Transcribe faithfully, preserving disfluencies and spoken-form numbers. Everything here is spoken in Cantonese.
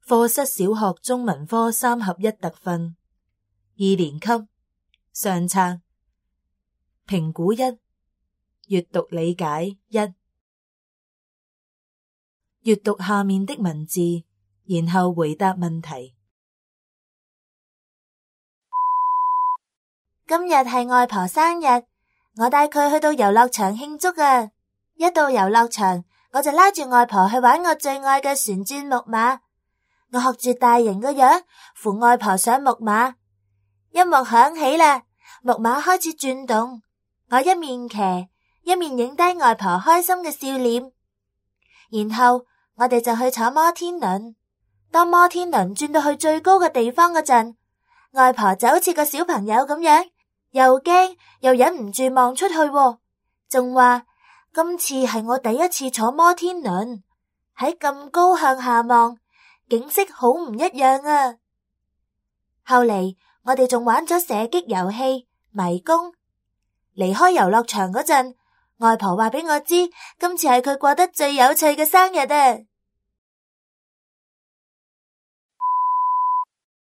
課室小學中文科三合一特訓，二年級上冊，評估一，閱讀理解一。閱讀下面的文字，然後回答問題。今日係外婆生日，我帶佢去到遊樂場慶祝啊！一到遊樂場，我就拉住外婆去玩我最愛嘅旋轉木馬。我學住大人個樣，扶外婆上木馬。音樂響起啦，木馬開始轉動。我一面騎，一面影低外婆開心嘅笑臉。然後我哋就去坐摩天輪。當摩天輪轉到去最高嘅地方嗰陣，外婆就好似個小朋友咁樣，又驚又忍唔住望出去，仲話今次係我第一次坐摩天輪，喺咁高向下望，景色好唔一樣啊！後嚟我哋仲玩咗射擊遊戲、迷宮。離開遊樂場嗰陣，外婆話俾我知，今次係佢過得最有趣嘅生日啊！